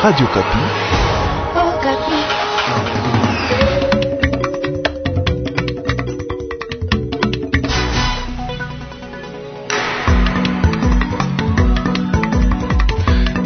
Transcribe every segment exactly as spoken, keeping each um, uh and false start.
Radio Okapi.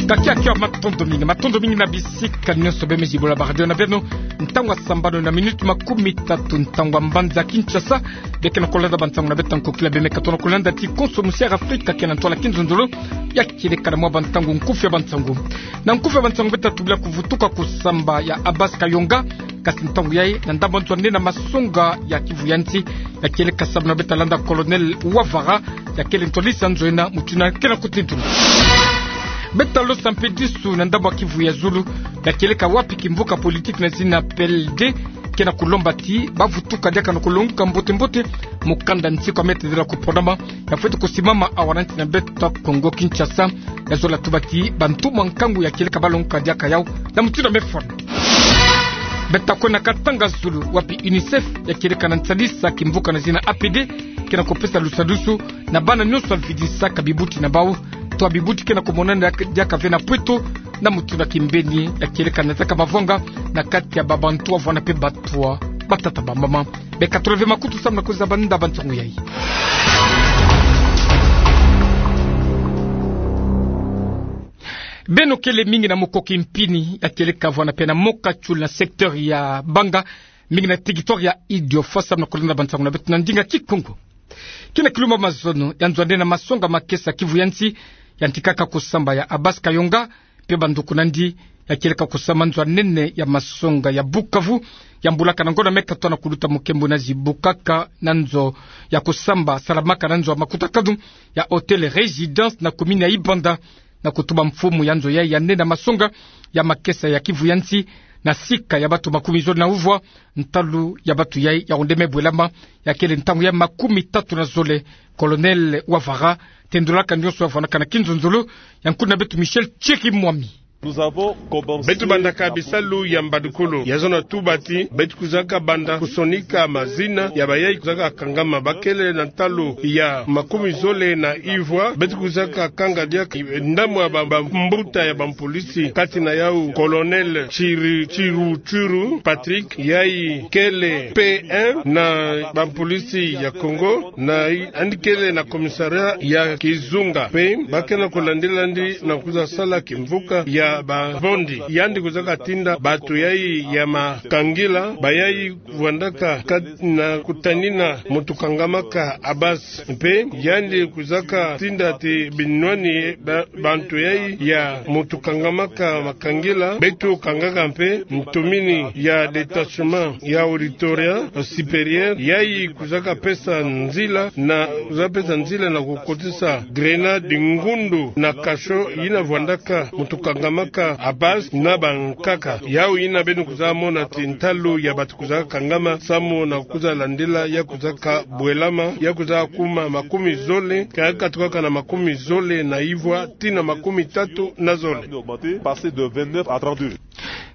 Kakia kia, matondo mingi, matondo mingi na bisika nyonso bemei zibola ba radio na beno. Ntangu ya sambanu na minute makumi tatu, ntangu ya mbanza Kinshasa. Beke na kolanda bansangu na beto ya nkokila, bemei katono kolanda ti konso musi ya Afrika ke na ntwala kinzonzolo. Ya kieleka na mwa bansangu nkufi ya bansangu. Na nkufi ya bansangu, beta tubila kuvutuka kusamba ya Abbas Kayonga, kasi ntangu yayi na ndambu nzo ya nene ya masonga ya Kivu ya nsi, ya kieleka sababu na beta landa Colonel Wavara, ya kele ntwadisi ya nzo ena, mutindu ke na kutintuna. Beta losa mpe disu na ndambu ya Kivu ya zulu, ya kieleka wapi kimvuka politique na zina P L D ke na kulomba ti bavutuka diaka na kulonguka mbote mbote mukanda nsi kwa mete dela kupondama, ya fweti kusimama awa na nsi na beto Kongo Kinshasa, ya zola tuba ti bantu mwa nkangu ya kieleka balonguka diaka yau na mutindu ya mefwana. Beta kwenda Katanga zulu, wapi UNICEF, ya kieleka na nsadisa kimvuka na zina A P D, ke na kupesa lusadusu na bana nyonso ya vidisaka bibuti na bau, to bibuti ke na kumonana diaka ve na pweto, na mutindu ya kimbeni, ya kieleka na zaka mavwanga na kati ya babantu wavwanda mpe batua batata bamama. Beka tula ve makutu samu na kuzaba nda bansangu yayi. Beno kele mingi na Mukoki Mpini, ya kieleka vwanda mpe na Mokatchoul na secteur ya Banga, mingi na territoire ya Idiofa, samu na kolanda bansangu na beto na ndinga Kikongo. Ke na kilumbu ya mazono, ya nzo ya nene ya masonga makesa Kivu ya nsi, yantikaka kusamba ya Abbas Kayonga mpe banduku na yandi, ya kieleka kusamba nzo ya nene ya masonga ya Bukavu, ya mbulaka na ngonda meka twa na kuluta mukembo na zibukaka na nzo ya kusamba salamaka na nzo ya makutakanu ya Hôtel Résidence na commune ya Ibanda, na kutuba mfumu ya nzo yayi ya nene ya masonga ya makesa ya Kivu ya nsi, na sika ya bantu makumi zole na uvwa, ntalu ya bantu yayi ya onde me bwelama, ya kele ntangu ya makumi tatu na zole. Colonel Wavara tendulaka nyonso ya vwandaka na kinzonzolo, ya nkuna beto Michel Tchiri Mwami. Beto bandaka bisalu ya mbadukulu, ya zono tuba ti beto kwizaka banda kusonika mazina ya bayayi kwizaka kangama, bakele na ntalu ya makumi zole na ivwa. Beto kwizaka kanga diaka ndambu ya ba, bambuta ya bampolisi, kati na yau Colonel Chiru, Chiru, Chiru Patrick, yayi kele P M na bampolisi ya Congo, na yandi kele na commissariat ya Kizunga. Mpe bakele na kulandila yandi na kwiza sala kimvuka ya babondi. Yandi kwizaka tinda bantu yayi ya makangila, bayayi vwandaka kat-, na kutanina muntu kangamaka Abbas. Mpe yandi kwizaka tinda ti binwani ba, bantu yayi ya muntu kangamaka makangila, beto kangaka mpe ntumini ya détachement ya Auditorat Supérieur, yayi kwizaka pesa nzila na, kwizaka pesa nzila na kukotisa grenade ngundu na cachot yina vwandaka muntu kangamaka Abbas na bankaka. Yau yina beno kwiza mona ti ntalu ya bantu kwizaka kangama samu na kwiza landila, ya kwizaka bwelama, ya kwiza kuma makumi zole, kaka tukaka na makumi zole na ivwa tii na makumi tatu na zole.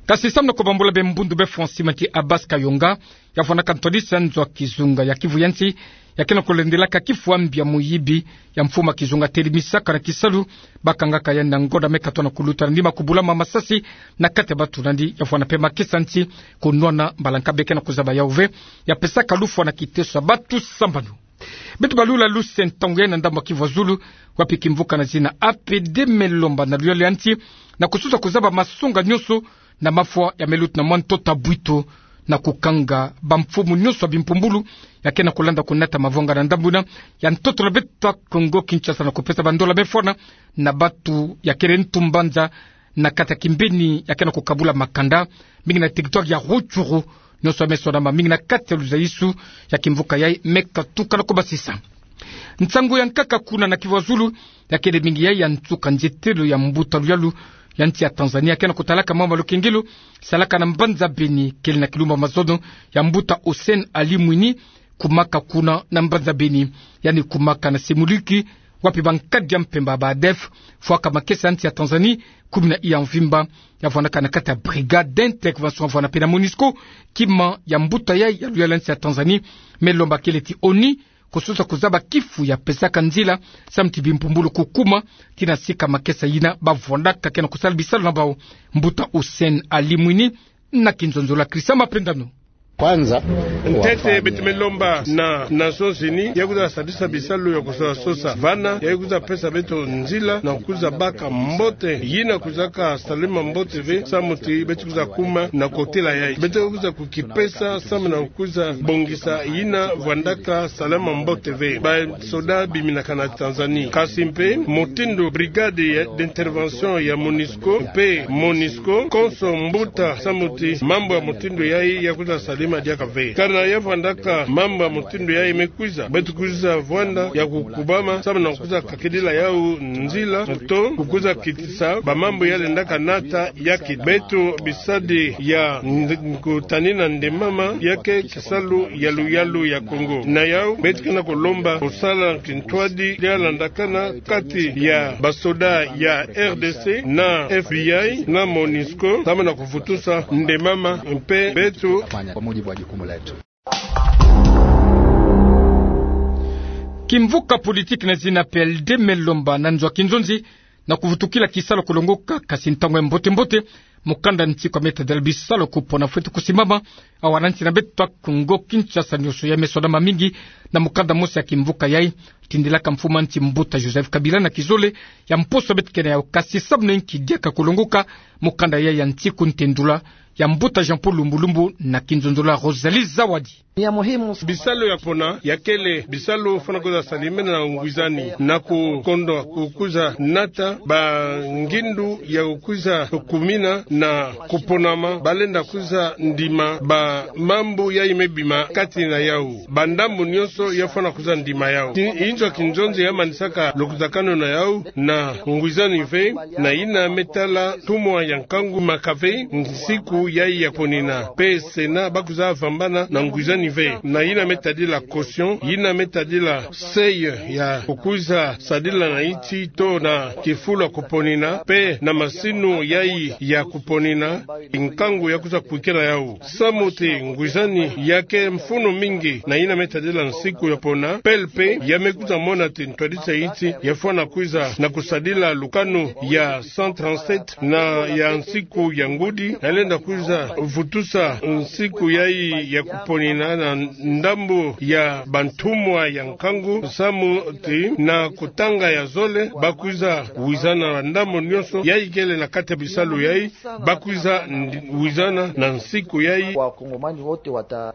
Kasi samu na kubambula be mbundu be fwa nsi ti Abbas Kayonga, ya vwandaka ntwadisi ya nzo ya Kizunga ya Kivu ya nsi, ya ke na kulendelaka kifwambi ya muyibi ya mfumu ya Kizunga, telimisaka na kisalu bakangaka yandi na ngonda meka twa na kuluta na nima kubulama masasi na kati ya bantu na yandi, ya vwanda mpe makesa nsi kunwana mbala nka. Beke na kuzaba yau ve, ya pesaka lufwa na kiteso ya bantu sambanu. Beto balula luse ntangu yayi na ndambu ya Kivu ya zulu, wapi kimvuka na zina A P D me lomba na luyalu ya nsi na kususa kuzaba masonga nyonso na mafwa ya me luta na mwa ntoto ya bwito, na kukanga bamfumu nyonso ya bimpumbulu ya ke na kulanda kunata mavwanga na ndambu yina ya ntoto na beto Kongo Kinshasa, na kupesa bandola me fwana na bantu ya kele ntu mbanza na kati ya kimbeni ya ke na kukabula makanda, mingi na territoire ya Rutshuru. Nyonso ya me sonama mingi na kati ya luzayisu ya kimvuka yayi me katuka na kubasisa. Nsangu ya nkaka kuna na Kivu ya zulu, ya kele mingi yayi ya nsuka nzietelo ya mbuta luyalu ya nsi ya Tanzanie, ya ke na kutalaka mama lukengelo salaka na mbanza Beni, kele na kilumbu ya mazono ya mbuta Hussein Ali Mwinyi, kumaka kuna na mbanza Beni. Yandi kumaka na Semuliki, wapi bankadi ya mpemba ba ADF fwaka makesa ya nsi ya Tanzanie kumi na iya mvimba, ya vwandaka na kati ya Brigade d'Intervention, vwanda mpe na MONUSCO, kima ya mbuta yayi ya luyalu ya nsi ya Tanzanie me lomba kele ti ONU kususa kuzaba kifu ya pesaka nzila, samu ti bimpumbulu kukuma, tii na sika makesa yina bavwandaka ke na kusala bisalu na bau. Mbuta Hussein Ali Mwini, na kinzonzolo ya Christian Mapendano. Kwanza, ntete beto me lomba na Nations Unies ya kwiza sadisa bisalu ya kusosa sosa vana, ya kwiza pesa beto nzila na kwiza baka mbote yina kwizaka salama mbote ve, samu ti beto kwiza kuma na kotela yayi. Beto kwiza kukipesa samu na kwiza bongisa yina vwandaka salama mbote ve. Basoda biminaka na Tanzanie. Kasi mpe mutindu brigade ya, d'intervention ya MONUSCO, mpe MONUSCO, konso mbuta samu ti mambu ya mutindu yayi ya kwiza salama diaka ve. Kana ya vwandaka mambu ya mutindu yayi me kwiza, beto kwiza vwanda ya kukubama samu na kwiza kakidila yau nzila, to kukwiza kitisa bamambu ya lendaka nata ya kid-. Beto bisadi ya nd-, kutanina ndemama ya ke kisalu ya luyalu ya Kongo. Na yau, beto ke na kulomba kusala kintwadi ya landakana kati ya basoda ya R D C na F B I na MONUSCO, samu na kuvutusa ndemama mpe beto. Kimvuka politiki na zina P L D me lomba na nzo ya kinzonzi na kuvutukila kisalu kulongoka, kasi ntangu ya mbote-mbote, mukanda nsiku ya me tadila bisalu kupona fweti kusimama. Awa na nsi na beto Kongo Kinshasa nioso ya me soda mamingi na mukanda mosi ya kimvuka yayi, tindilaka mfumu a nsi mbuta Joseph Kabila na kizole ya mposo beto ke na yau, kasi samu na inki diaka kulongoka mukanda yayi ya nsiku ntendula ya mbuta Jean-Paul Lumbu Lumbu na kinzonzolo ya Rosalie Zawadi. Bisalu ya pona ya kele bisalu fwana kwiza salimena na ngwizani na kukondo kukwiza nata bangindu ya kukwiza kumina na kuponama, balenda kwiza ndima bamambu yayi me bima kati na yau. Bandambu nionso ya fwana kwiza ndima yau. Ki-, inzo ya kinzonzi ya manisaka lukutakanu na yau na ngwizani ve, na yina me tala ntumwa ya nkangu maka ve nsiku yayi ya ponina. Mpe Sénat bakwiza vambana na ngwizani ve. Na yina me tadila caution, yina me tadila seuil ya kukwiza sadila na insi to na kifulu ya kuponina, mpe na masinu yayi ya kuponina, nkangu ya kwiza kwikila yau. Samu ti ngwizani ya ke mfunu mingi na yina me tadila nsiku ya pona, P L P ya me kwiza mona ti ntwadisa insi ya fwana kwiza na kusadila lukanu ya cent trente-sept na ya nsiku ya ngudi, ya lenda kwiza vutusa nsiku yayi ya kuponina na ndambu ya bantumwa ya nkangu, samu ti na kutanga ya zole, bakwiza wizana na ndambu nionso yayi kele na kati ya bisalu yayi, bakwiza ndi-, wizana na nsiku yayi. Wakongomani wote wata-.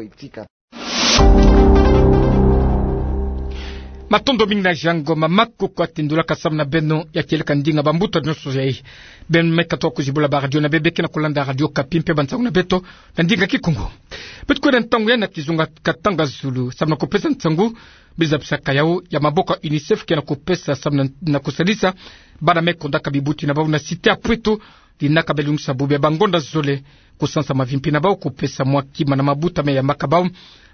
Matondo mingi na Jean Ngoma Makuku atindulaka samu na beno ya kieleka ndinga bambuta nionso yayi. Beno me katuka kuzibula ba radio na beno, beno ke na kulanda Radio Okapi mpe bansangu na beto na ndinga Kikongo. Beto kwenda ntangu yayi na kizunga katanga zulu samu na kupesa nsangu biza bisaka yau ya maboko ya UNICEF ke na kupesa samu na, na kusadisa bana me kondaka bibuti na bau na cité ya Pweto, linaka bia lungisa bubu ya bangonda zole, kusansa mavimpi na bau, kupesa mwa kima na mabuta me yambaka bau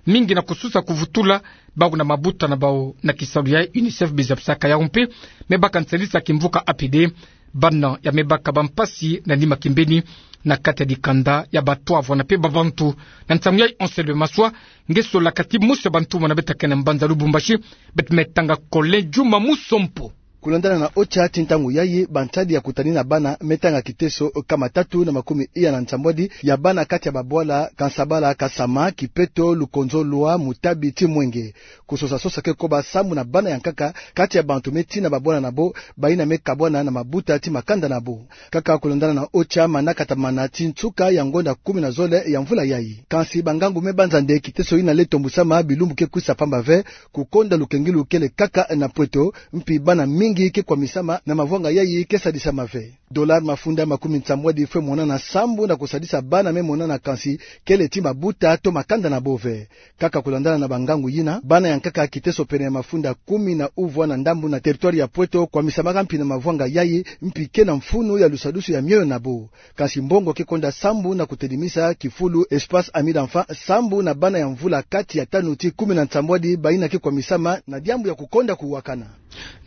mingi na kususa kuvutula bau na mabuta na bau. Na kisalu ya UNICEF biza bisaka yau mpe me baka nsalisa kimvuka A P D, bana ya me baka bampasi na nima kimbeni na kati ya dikanda ya batwavwani mpe babantu. Na nsangu ya Anselme Maswa, nge solaka ti mosi ya bantumwa na beto ke na mbanza Lubumbashi, beto me tanga Kole Juma Musompo. Kulandana na OCHA, ti ntangu yayi, bansadi ya kutanina bana me tanga kiteso kama tatu na makumi iya na nsambwadi ya bana kati ya babwala Kansabala, Kasama, Kipeto, Lukonzo, Lwa, Mutabi ti Mwenge. Kusosa sosa ke koba sambu na bana ya nkaka kati ya bantu me tina babwana na bo, bayina me kabwana na mabuta ti makanda na bo. Kaka kulandana na OCHA, mana kata mana ti nsuka ya ngonda kumi na zole ya mvula yayi. Kansi bangangu me banza nde kiteso yina le tombusama bilumbu ke kwisa pamba ve, kukonda lukengilu kele kaka na Pweto, mpi bana mingi ke kwamisama na mavwanga yayi ke sadisama ve. Dollar mafunda makumi nsambwadi fwe monana sambu na kusadisa bana me monana, kansi kele ti mabuta to makanda na bo ve. Kaka kulandana na bangangu yina, bana ya nkaka kiteso pene ya mafunda kumi na uvwa na ndambu na territoire ya Pweto kwamisamaka mpi na mavwanga yayi, mpi ke na mfunu ya lusadusu ya mioyo na bo. Kansi mbongo ke konda sambu na kutedimisa kifulu Espace Ami d'Enfant sambu na bana ya mvula kati ya tanu ti kumi na nsambwadi bayina ke kwamisama na diambu ya kukonda kuwakana.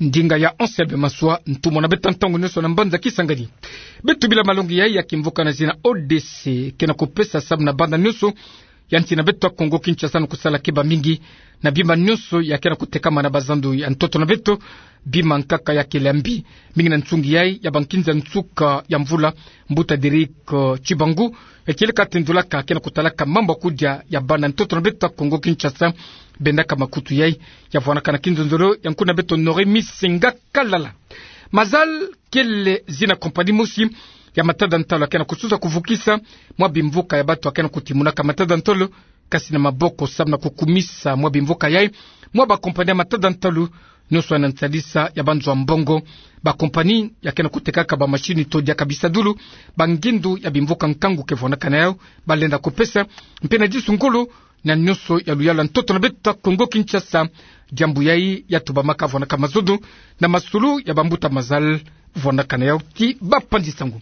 Ndinga ya Anselme Maswa, ntumwa na beto ntangu nionso na mbanza Kisangani. Beto bila malongi yayi ya kimvuka na zina O D C ke na kupesa sambu na bana nionso ya nsi na beto ya Kongo Kinshasa na kusala keba mingi na bima nyonso ya ke na kutekama na bazando ya ntoto na beto. Bima nkaka ya kele mbi mingi na nsungi yai ya bankinza nsuka ya mvula, mbuta Derek, eh, Tshibangu, eh, kieleka tendulaka ke na kutalaka mambu ya kudia ya bana ntoto na beto ya Kongo Kinshasa, bendaka makutu yai. Ya vwanaka na kinzonzolo ya nkuna beto Nore Misenga Kalala. Mazal kele zina kompani mosi ya matada ntalo ya ke na kususa kuvukisa mwa bimvuka ya bato ya ke na kutimunaka matada ntalo, kasi na maboko samu na kukumisa mwa bimvuka yai mwa bakompani ya matada ntalo, nyonso ya na nsalisa ya banzo ya mbongo. Bakompani ya ke na kutekaka bamashini to diaka bisadulu, bangindu ya bimvuka nkangu ke vwanaka na yau, balenda kupesa, mpe na disu ngolo na nyonso ya luyalu ya ntoto na beto ya Kongo Kinshasa. Diambu yai ya tubamaka vwanaka mazono na masolo ya bambuta Mazal vwanaka na yau ti bapanzi sango.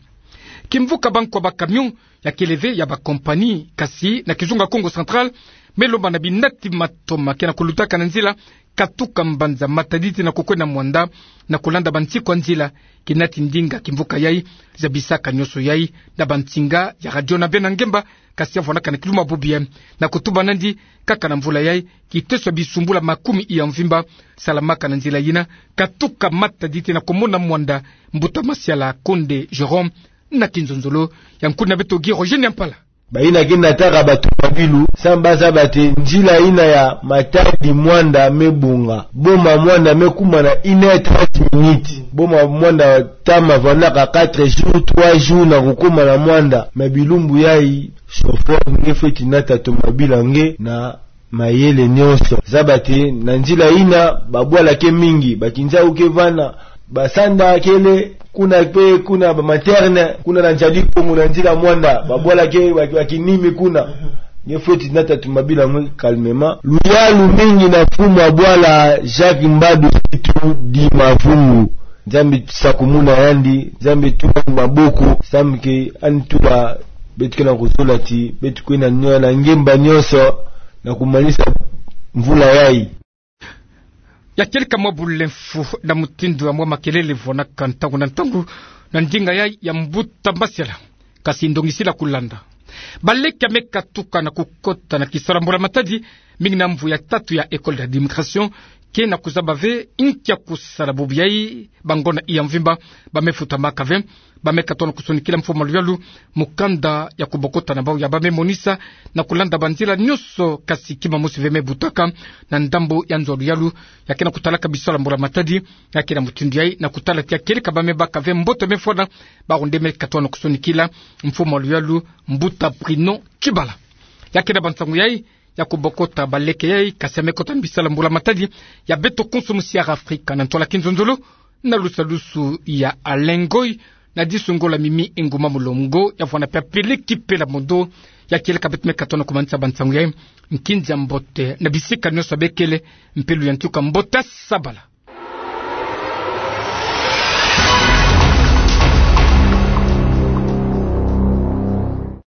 Kimvuka bankwa ba camion ya kele ve ya bakompani, kasi na kizunga Kongo Central, me lomba na binati matoma ke na kulutaka na nzila katuka mbanza Matadi tii na kukwenda Muanda, na kulanda bansiku ya nzila. Kinati ndinga kimvuka yai zabisaka nyonso yai na bansinga ya radio na bena ngemba, kasi ya vwanaka na kiluma bubu yai, na kutuba nandi kaka na mvula yai, kiteso ya bisumbula makumi iya mvimba salamaka na nzila yina katuka Matadi tii na kumona Muanda. Mbuta Masiala Konde Jérôme na kinzonzolo ya nkuna beto Guy Roger Niampala. Bayina ke nataka batomabilu, samu bazaba ti nzila yina ya Matadi Muanda me bonga. Boma Muanda me kuma na une heure trente minutes. Boma Muanda tama vwanaka quatre jours, trois jours na kukuma na Muanda. Mais bilumbu yai, chauffeur nge fweti nata tomabilu ya nge na mayele nyonso. Zaba ti na nzila yina, babwala ke mingi, bakinzau ke vana, basanda kele, kuna pe, kuna ba materne, kuna na Nzadi Kongo na nzila Muanda, babwala ke, ba, bakinimi kuna. Nge fweti nata tomabilu ya nge calmement. Luyalu mingi na mfumu wa bwala Jacques Mbadu Situ di Mavungu. Nzambi sakumuna yandi, Nzambi tula maboko, samu ke yandi tula beto ke na kuzola ti beto kwenda niola ngemba nyonso na kumanisa mvula yai. Ya kieleka mwa bulemfu na mutindu ya mwa makelele vwanaka ntangu na ntangu na ndinga yai ya mbuta Masiala. Kasi ndongisila kulanda. Baleke ya me katuka na kukota na kisalu ya mbula matadi, mingi na mvu ya tatu ya école d'administration, ke na kuzaba ve inki ya kusala bubu yai, bango na iya mvimba ba me futamaka ve. Ba me katono kusonikila mfumu wa luyalu mukanda ya kubokota na bau ya ba me monisa na kulanda banzila nyonso, kasi kima mosi ve me butaka na ndambu ya nzo ya luyalu ya ke na kutalaka bisalu ya mbula matadi. Ya ke na mutindu yai na kutala ti ya kieleka ba me baka ve mbote me fwana, bawu nde me katono kusonikila mfumu wa luyalu, mbuta Bruno Tshibala. Ya ke na bansangu yai ya kubokota baleke yai, kasi ya me kota na bisalu ya mbula matadi ya beto konso musi ya Afrika, na ntwala kinzonzolo na lusalusu ya Alain Ngoy, na disu ngolo ya Mimi Nguma Mulongo, ya vwana pe ya peleki pela mondo. Ya kieleka beto me katono kumanisa bansangu yai, nkinzi ya mbote na bisika nyonso bekele, mpe luyantika mbote sabala.